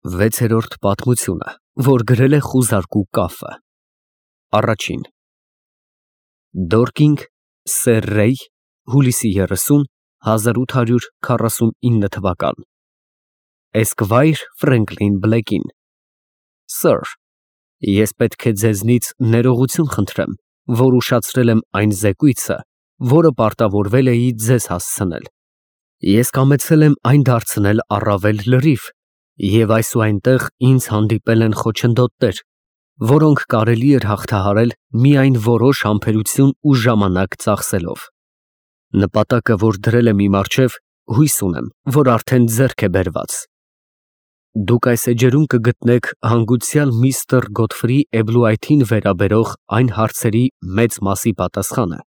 Վեցերորդ պատմությունը, որ գրել է խուզարկու կաֆը։ Առաջին Դորկինգ, Սեր Ռեյ, հուլիսի 30, 1849 թվական։ Էսկվայր Ֆրենկլին Բլեկին։ Սըր, ես պետք է ձեզնից ներողություն խնդրեմ, որ ուշացրել եմ այն զեկույցը, որը պարտավորվել էի ձեզ հասցնել։ Ես կամեցել եմ այն դարձնել առավել լրիվ, և այս ու այնտեղ ինձ հանդիպել են խոչընդոտներ, որոնք կարելի էր հաղթահարել միայն որոշ համբերություն ու ժամանակ ծախսելով։ Նպատակը, որ դրել եմ իմ առջև, հույս ունեմ, որ արդեն ձեռք է բերված։ Դուք այս էջերում կգտնեք հանգուցյալ միստր Գոթֆրի Էբլուայթին վերաբերող այն հարցերի մեծ մասի պատասխանը,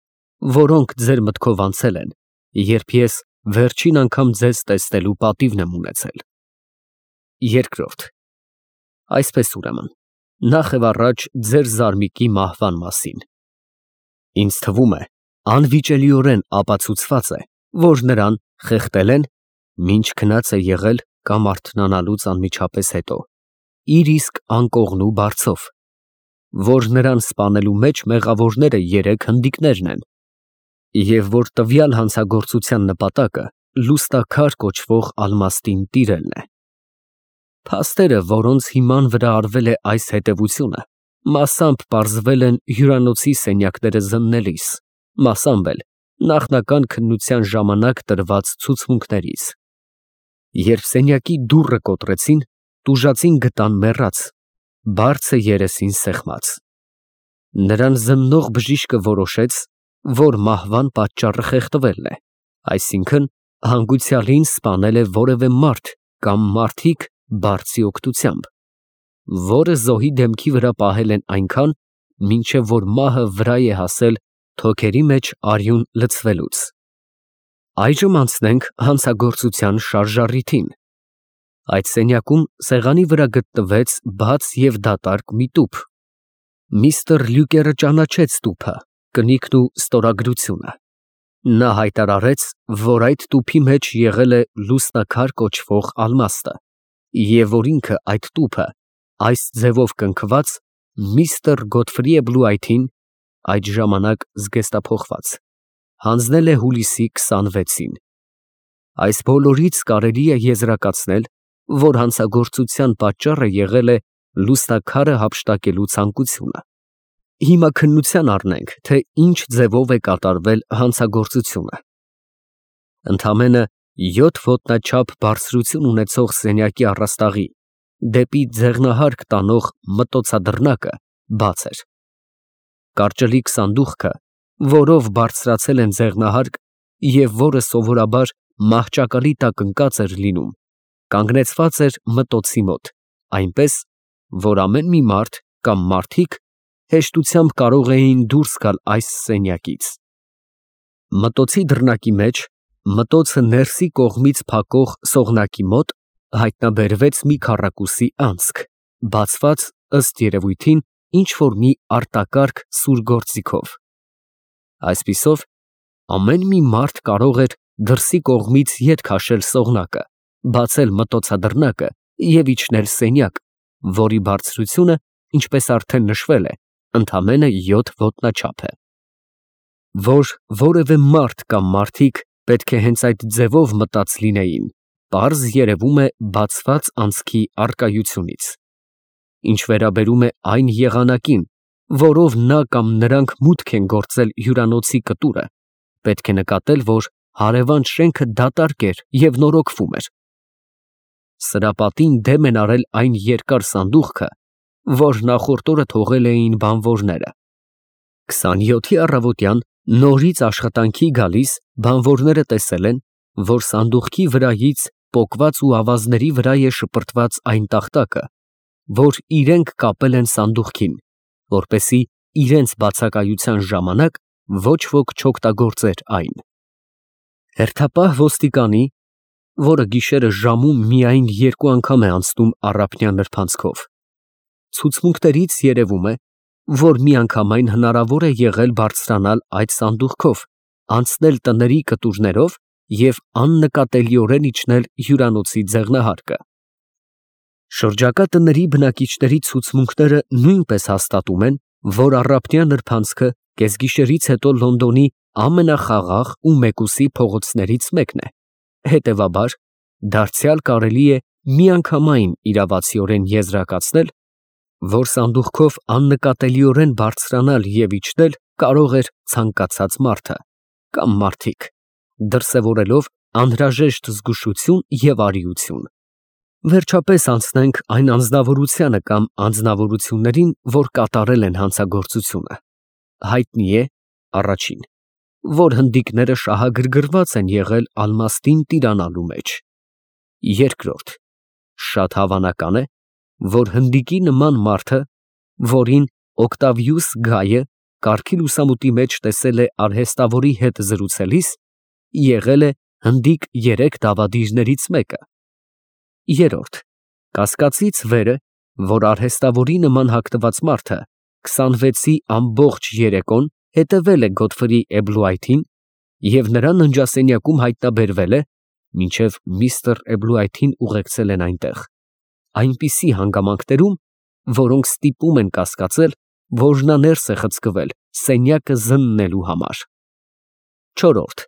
որոնք ձեր մտքով անցել են, երբ ես վերջին անգամ ձեզ տեսնելու պատիվն եմ ունեցել։ Երկրորդ Այսպես ուրեմն, նախ և առաջ ձեր զարմիկի մահվան մասին։ Ինձ թվում է, անվիճելիորեն ապացուցված է, որ նրան խեղդել են, մինչ քնած է եղել կամ արթնանալուց անմիջապես հետո, իր իսկ անկողնու բարձով, որ նրան սպանելու մեջ մեղավորները երեք հնդիկներն են, և որ տվյալ հանցագործության նպատակը լուստաքար կոչվող ալմաստին տիրելն է։ Փաստերը, որոնց հիման վրա արվել է այս հետևությունը, մասամբ պարզվել են հյուրանոցի սենյակները զննելիս, մասամբ էլ նախնական քննության ժամանակ տրված ցուցմունքներից։ Երբ սենյակի դուռը կոտրեցին, տուժածին գտան մեռած, բարձը երեսին սեղմած։ Նրան զննող բժիշկը որոշեց, որ մահվան պատճառը խեղդվելն է, այսինքն հանգուցյալին սպանել է որևէ մարդ կամ մարդիկ բարձի օգնությամբ, որը զոհի դեմքի վրա պահել են այնքան, մինչև որ մահը վրա է հասել թոքերի մեջ արյուն լցվելուց։ Այժմ անցնենք հանցագործության շարժառիթին։ Այդ սենյակում սեղանի վրա գտնվեց բաց և դատարկ մի տուփ։ Միստր Լյուկերը ճանաչեց տուփը, կնիկն ու ստորագրությունը։ Նա հայտարարեց, որ այդ տուփի մեջ եղել է լուսնաքար կոչվող ալմաստը, և որ ինքը այդ տուփը, այս ձևով կնքված, միստր Գոթֆրի Էբլուայթին, այդ ժամանակ զգեստափոխված, հանձնել է հուլիսի 26-ին։ Այս բոլորից կարելի է եզրակացնել, որ հանցագործության պատճառը եղել է լուսնաքարը հափշտակելու ցանկությունը։ Հիմա քննության առնենք, թե ինչ ձևով է կատարվել հանցագործությունը։ Ընդամենը 7 ոտնաչափ բարձրություն ունեցող սենյակի առաստաղի դեպի ձեղնահարկ տանող մտոցադրնակը բաց էր։ Կարճլիկ սանդուղքը, որով բարձրացել են ձեղնահարկ և որը սովորաբար մահճակալի տակ ընկած էր լինում, կանգնեցված էր մտոցի մոտ, այնպես, որ ամեն մի մարդ կամ մարդիկ հեշտությամբ կարող էին դուրս գալ այս սենյակից։ Մտոցի դռնակի մեջ, մտոցը ներսի կողմից փակող սողնակի մոտ, հայտնաբերվեց մի քառակուսի անցք, բացված, ըստ երևույթին, ինչ֊որ մի արտակարգ սուր գործիքով։ Այսպիսով, ամեն մի մարդ կարող էր դրսի կողմից ետ քաշել սողնակը, բացել մտոցադրնակը և իջնել սենյակ, որի բարձրությունը, ինչպես արդեն նշվել է, ընդամենը 7 ոտնաչափ է։ Որ որևէ մարդ կամ մարդիկ պետք է հենց այդ ձևով մտած լինեին, պարզ երևում է բացված անցքի առկայությունից։ Ինչ վերաբերում է այն եղանակին, որով նա կամ նրանք մուտք են գործել հյուրանոցի կտուրը, պետք է նկատել, որ հարևան շենքը դատարկ էր և նորոգվում էր։ Սրա պատին դեմ են արել այն երկար սանդուղքը, որ նախորդ օրը թողել էին բանվորները։ 27-ի առավոտյան նորից աշխատանքի գալիս բանվորները տեսել են, որ սանդուղքի վրայից պոկված ու ավազների վրա է շպրտված այն տախտակը, որ իրենք կապել են սանդուղքին, որպեսզի իրենց բացակայության ժամանակ ոչ ոք չօգտագործեր այն։ Հերթապահ ոստիկանի, որը գիշերը ժամում միայն 2 անգամ է անցնում առափնյա նրբանցքով, ցուցմունքներից երևում է, որ միանգամայն հնարավոր է եղել բարձրանալ այդ սանդուղքով, անցնել տների կտուրներով և աննկատելիորեն իջնել հյուրանոցի ձեղնահարկը։ Շրջակա տների բնակիչների ցուցմունքները նույնպես հաստատում են, որ առափնյա նրբանցքը կեսգիշերից հետո Լոնդոնի ամենախաղաղ ու մեկուսի փողոցներից մեկն է, հետևաբար, դարձյալ կարելի է միանգամայն իրավացիորեն եզրակացնել, որ սանդուղքով աննկատելիորեն բարձրանալ և իջնել կարող էր ցանկացած մարդը կամ մարդիկ, դրսևորելով անհրաժեշտ զգուշություն և արիություն։ Վերջապես անցնենք այն անձնավորությանը կամ անձնավորություններին, որ կատարել են հանցագործությունը։ Հայտնի է, առաջին, որ հնդիկները շահագրգռված են եղել Ալմաստին տիրանալու մեջ։ Երկրորդ, շատ հավանական է, որ հնդիկի նման մարդը, որին Օկտավիուս Գայը կարգի լուսամուտի մեջ տեսել է արհեստավորի հետ զրուցելիս, եղել է հնդիկ 3 դավադիրներից մեկը։ Երրորդ, կասկածից վեր է, որ արհեստավորի նման հագնված մարդը 26-ի ամբողջ երեկոն հետևել է Գոթֆրի Էբլուայթին և նրա ննջասենյակում հայտնաբերվել է, մինչև միստր Էբլուայթին ուղեկցել են այնտեղ, այնպիսի հանգամանքներում, որոնք ստիպում են կասկածել, որ նա ներս է խցկվել սենյակը զննելու համար։ Չորրորդ,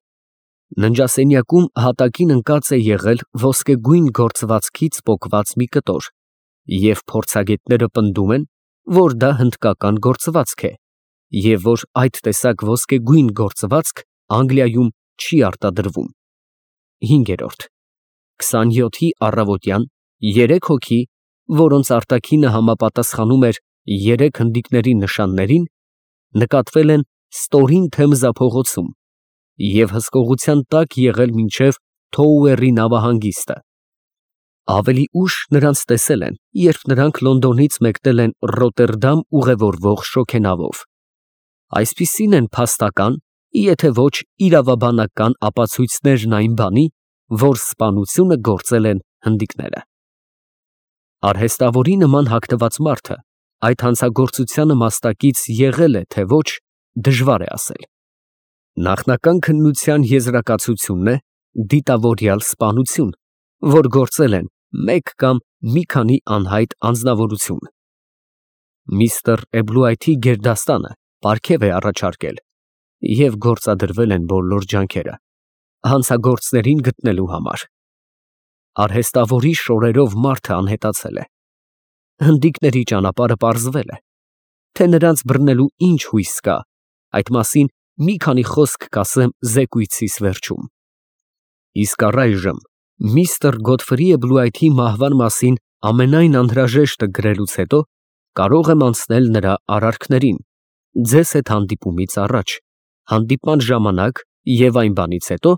ննջասենյակում հատակին ընկած է եղել ոսկեգույն գործվածքից պոկված մի կտոր, և փորձագետները պնդում են, որ դա հնդկական գործվածք է, և որ այդ տեսակ ոսկեգույն գործվածք Անգլիայում չի արտադրվում։ Հինգերորդ, 27-ի առավոտյան 3 հոգի, որոնց արտաքինը համապատասխանում էր 3 հնդիկների նշաններին, նկատվել են Ստորին Թեմզա փողոցում և հսկողության տակ եղել մինչև Թոուերի նավահանգիստը։ Ավելի ուշ նրանց տեսել են, երբ նրանք Լոնդոնից մեկնել են Ռոտերդամ ուղևորվող շոգենավով։ Այսպիսին են փաստական, եթե ոչ իրավաբանական ապացույցներն այն բանի, որ սպանությունը գործել են հնդիկները։ Արհեստավորի նման հագնված մարդը այդ հանցագործությանը մասնակից եղել է, թե ոչ, դժվար է ասել։ Նախնական քննության եզրակացությունն է դիտավորյալ սպանություն, որ գործել են մեկ կամ մի քանի անհայտ անձնավորություն։ Միստր Էբլուայթի գերդաստանը պարգև է առաջարկել և գործադրվել են բոլոր ջանքերը հանցագործներին գտնելու համար։ Արհեստավորի շորերով մարդը անհետացել է։ Հնդիկների ճանապարհը պարզվել է։ Թե նրանց բռնելու ինչ հույս կա, այդ մասին մի քանի խոսք կասեմ զեկույցիս վերջում։ Իսկ առայժմ միստր Գոթֆրի Էբլուայթի մահվան մասին ամենայն անհրաժեշտը գրելուց հետո կարող եմ անցնել նրա արարքներին, ձեզ հետ հանդիպումից առաջ, հանդիպման ժամանակ և այն բանից հետո,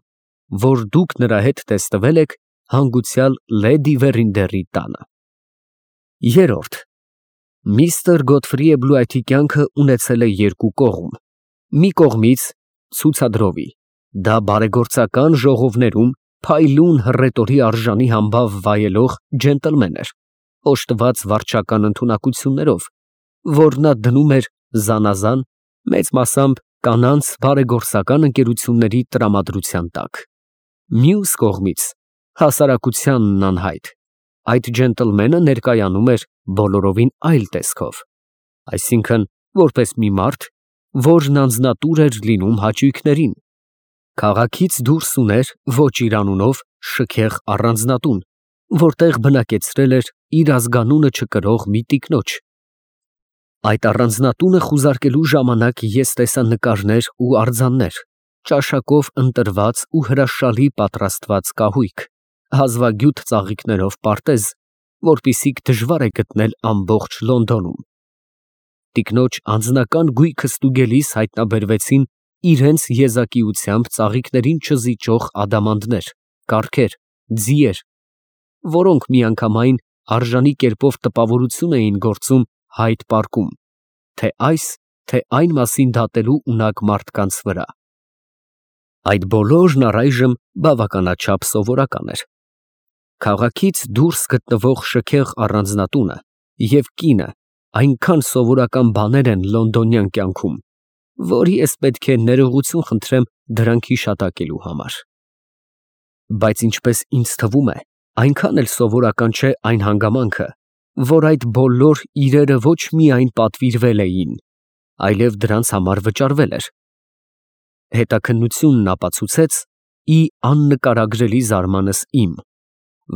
որ դուք նրա հետ տեսնվել եք հանգուցյալ լեդի Վերինդերի տանը։ Երրորդ, միստր Գոթֆրի Էբլուայթի կյանքը ունեցել է 2 կողմ։ Մի կողմից ցուցադրովի, դա բարեգործական ժողովներում փայլուն հռետորի արժանի համբավ վայելող ջենտլմեն էր, օժտված վարչական ընդունակություններով, որ նա դնում էր զանազան, մեծ մասամբ կանանց բարեգործական ընկերությունների տրամադրության տակ։ Մյուս կողմից հասարակությանն անհայտ, այդ ջենտլմենը ներկայանում էր բոլորովին այլ տեսքով, այսինքն որպես մի մարդ, որն անձնատուր էր լինում հաճույքներին, քաղաքից դուրս ուներ ոչ իր անունով շքեղ առանձնատուն, որտեղ բնակեցրել էր իր ազգանունը չկրող մի տիկնոջ։ Այդ առանձնատունը խուզարկելու ժամանակ ես տեսա նկարներ ու արձաններ, ճաշակով ընտրված ու հրաշալի պատրաստված կահույք, հազվագյուտ ծաղիկներով պարտեզ, որպիսիք դժվար է գտնել ամբողջ Լոնդոնում։ Տիկնոջ անձնական գույքը ստուգելիս հայտնաբերվեցին իրենց եզակիությամբ ծաղիկներին չզիջող ադամանդներ, կառքեր, ձիեր, որոնք միանգամայն արժանի կերպով տպավորություն էին գործում հայտ պարկում, թե այս, թե այն մասին դատելու ունակ մարդկանց վրա։ Այդ բոլորն առայժմ բավականաչափ սովորական էր։ Քաղաքից դուրս գտնվող շքեղ առանձնատունը և կինը այնքան սովորական բաներ են լոնդոնյան կյանքում, որ ես պետք է ներողություն խնդրեմ դրանք հիշատակելու համար։ Բայց ինչպես ինձ թվում է, այնքան էլ սովորական չէ այն հանգամանքը, որ այդ բոլոր իրերը ոչ միայն պատվիրվել էին, այլև դրանց համար վճարվել էր։ Հետաքննությունն ապացուցեց ի աննկարագրելի զարմանս իմ,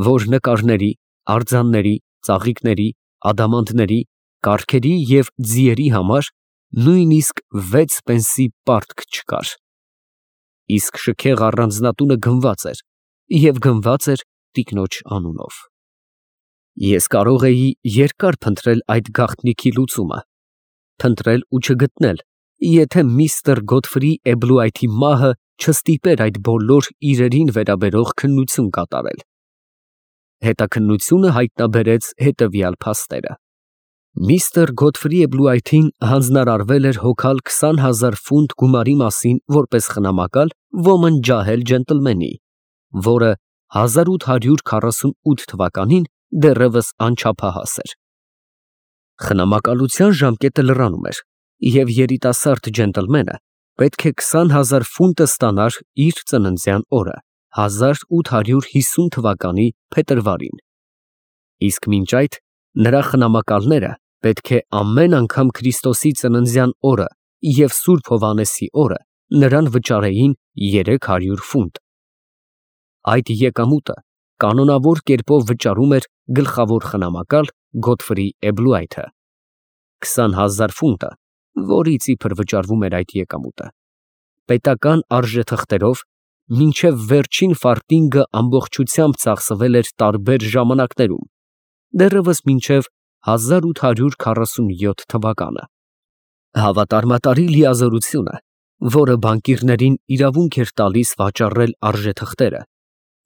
որ նկարների, արձանների, ծաղիկների, ադամանդների, կառքերի և ձիերի համար նույնիսկ 6 պենսի պարտք չկար։ Իսկ շքեղ առանձնատունը գնված էր և գնված էր տիկնոջ անունով։ Ես կարող էի երկար փնտրել այդ գաղտնիքի լուծումը, փնտրել ու չգտնել, եթե միստր Գոթֆրի Էբլուայթի մահը չստիպեր այդ բոլոր իրերին վերաբերող քննություն կատարել։ Հետաքննությունը հայտնաբերեց հետևյալ փաստերը. Միստր Գոթֆրի Էբլուայթին հանձնարարվել էր հոգալ 20,000 ֆունտ գումարի մասին որպես խնամակալ ոմն ջահել ջենտլմենի, որը 1848 թվականին դեռևս անչափահաս էր։ Խնամակալության ժամկետը լրանում էր, և երիտասարդ ջենտլմենը պետք է 20,000 ֆունտը ստանար իր ծննդյան օրը, 1850 թվականի փետրվարին։ Իսկ մինչ այդ նրա խնամակալները պետք է ամեն անգամ Քրիստոսի ծննդյան օրը և Սուրբ Հովհաննեսի օրը նրան վճարեին 300 ֆունտ։ Այդ եկամուտը կանոնավոր կերպով վճարում էր գլխավոր խնամակալ Գոթֆրի Էբլուայթը։ 20,000 ֆունտը, որից իբր վճարվում էր այդ եկամուտը, պետական արժեթղթերով մինչև վերջին ֆարտինգը ամբողջությամբ ծախսվել էր տարբեր ժամանակներում, դեռևս մինչև 1847 թվականը։ Հավատարմատարի լիազորությունը, որը բանկիրներին իրավունք էր տալիս վաճառել արժեթղթերը,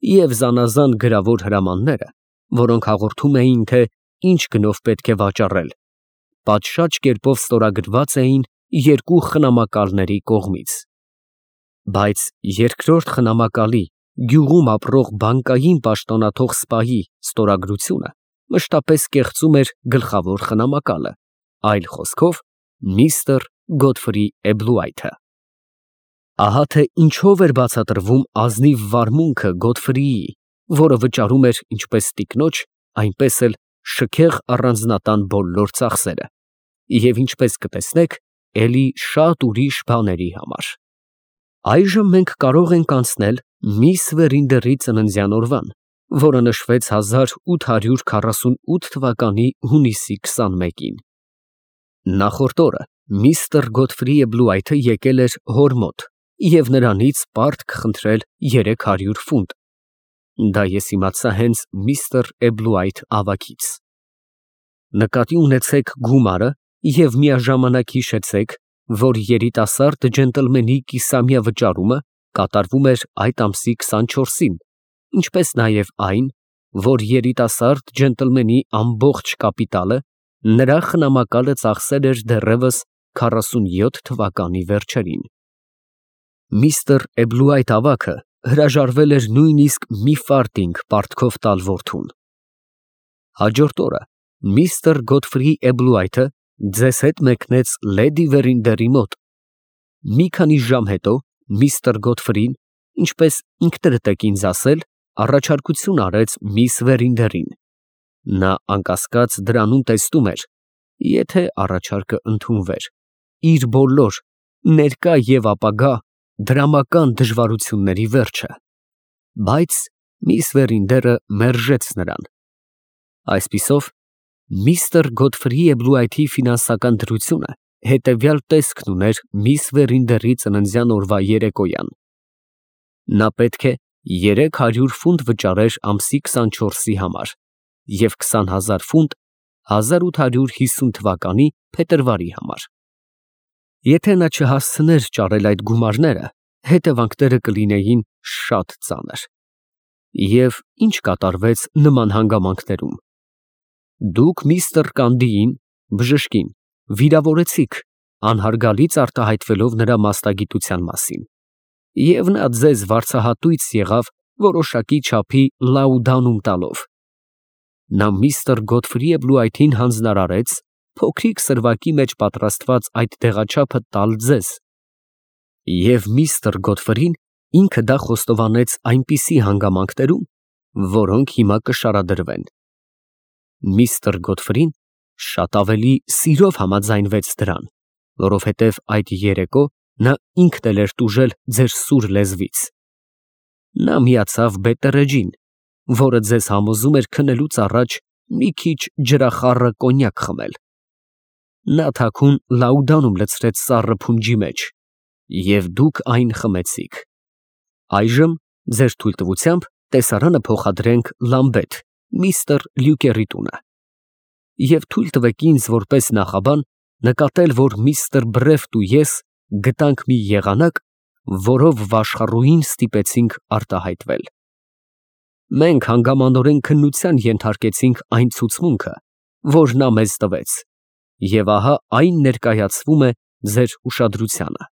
և զանազան գրավոր հրամանները, որոնք հաղորդում էին, թե ինչ գնով պետք է վաճառել, պատշաճ կերպով ստորագրված էին երկու խնամակալների կողմից։ Բայց երկրորդ խնամակալի գյուղում ապրող բանկային պաշտոնաթող սպայի ստորագրությունը մշտապես կեղծում էր գլխավոր խնամակալը, այլ խոսքով միստր Գոթֆրի Էբլուայթը։ Ահա թե ինչով էր բացատրվում ազնիվ վարմունքը Գոթֆրիի, որը վճարում էր ինչպես տիկնոջ, այնպես էլ շքեղ առանձնատան բոլոր ծախսերը, և ինչպես կտեսնեք, էլի շատ ուրիշ բաների համար։ Այժմ մենք կարող ենք անցնել միս Վերինդերի ծննդյան օրվան, որը նշվեց 1848 թվականի հունիսի 21-ին։ Նախորդ օրը միստր Գոթֆրի Էբլուայթը եկել էր հոր մոտ և նրանից պարտք խնդրել 300 ֆունտ։ Դա ես իմացա հենց միստր Էբլուայթ ավագից։ Նկատի ունեցեք գումարը և միաժամանակ հիշեցեք, որ երիտասարդ ջենտլմենի կիսամյա վճարումը կատարվում էր այդ ամսի 24-ին, ինչպես նաև այն, որ երիտասարդ ջենտլմենի ամբողջ կապիտալը նրա խնամակալը ծախսել էր դեռևս 47 թվականի վերջերին։ Միստր Էբլուայթ ավագը հրաժարվել էր նույնիսկ մի ֆարտինգ պարտքով տալ որդուն։ Հաջորդ օրը միստր Գոթֆրի Էբլուայթը ձեզ հետ մեկնեց լեդի Վերինդերի մոտ։ Մի քանի ժամ հետո միստր Գոթֆրին, ինչպես ինքներդ եք ինձ ասել, առաջարկություն արեց միս Վերինդերին։ Նա անկասկած դրանում տեսնում էր, եթե առաջարկը ընդունվեր, իր բոլոր ներկա և ապագա դրամական դժվարությունների վերջը։ Բայց միս Վերինդերը մերժեց նրան։ Այսպիսով, միստր Գոթֆրի Էբլուայթի ֆինանսական դրությունը հետևյալ տեսքն ուներ միս Վերինդերի ծննդյան օրվա երեկոյան։ Նա պետք է 300 ֆունտ վճարեր ամսի 24-ի համար և 20,000 ֆունտ 1850 թվականի փետրվարի համար։ Եթե նա չհասցներ ճարել այդ գումարները, հետևանքները կլինեին շատ ծանր։ Եվ ինչ կատարվեց նման հանգամանքներում։ Դուք միստր Կանդիին, բժշկին, վիրավորեցիք, անհարգալից արտահայտվելով նրա մասնագիտության մասին, և նա ձեզ վարձահատույց եղավ որոշակի չափի լաուդանում տալով։ Նա միստր Գոթֆրի Էբլուայթին հանձնարարեց փոքրիկ սրվակի մեջ պատրաստված այդ դեղաչափը տալ ձեզ, և միստր Գոթֆրին ինքը դա խոստովանեց այնպիսի հանգամանքներում, որոնք հիմա կշարադրվեն։ Միստր Գոթֆրին շատ ավելի սիրով համաձայնվեց դրան, որովհետև այդ երեկո նա ինքն էլ էր տուժել ձեր սուր լեզվից։ Նա միացավ Բետտերեջին, որը ձեզ համոզում էր քնելուց առաջ մի քիչ ջրախառը կոնյակ խմել։ Նա թաքուն լաուդանում լցրեց սառը փունջի մեջ, և դուք այն խմեցիք։ Այժմ ձեր թույլտվությամբ տեսարանը փոխադրենք Լամբեթ, միստր Լյուկերի տունը։ Եվ թույլ տվեք ինձ, որպես նախաբան, նկատել, որ միստր Բրեֆտ ու ես գտանք մի եղանակ, որով վաշխառուհին ստիպեցինք արտահայտվել։ Մենք հանգամանորեն քննության ենթարկեցինք այն ցուցմունքը, որ նա մեզ տվեց, և ահա այն ներկայացվում է ձեր ուշադրությանը։